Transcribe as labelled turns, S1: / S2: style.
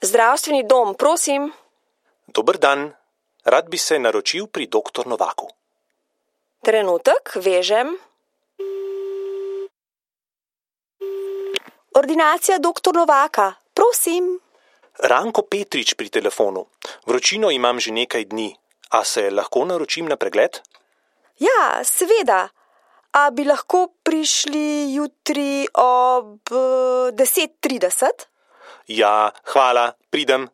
S1: Zdravstveni dom, prosim.
S2: Dober dan. Rad bi se naročil pri doktor Novaku.
S1: Trenutek, vežem. Ordinacija doktor Novaka, prosim.
S2: Ranko Petrič pri telefonu. Vročino imam že nekaj dni. A se lahko naročim na pregled?
S1: Ja, seveda. A bi lahko prišli jutri ob 10:30?
S2: Ja, hvala, pridem.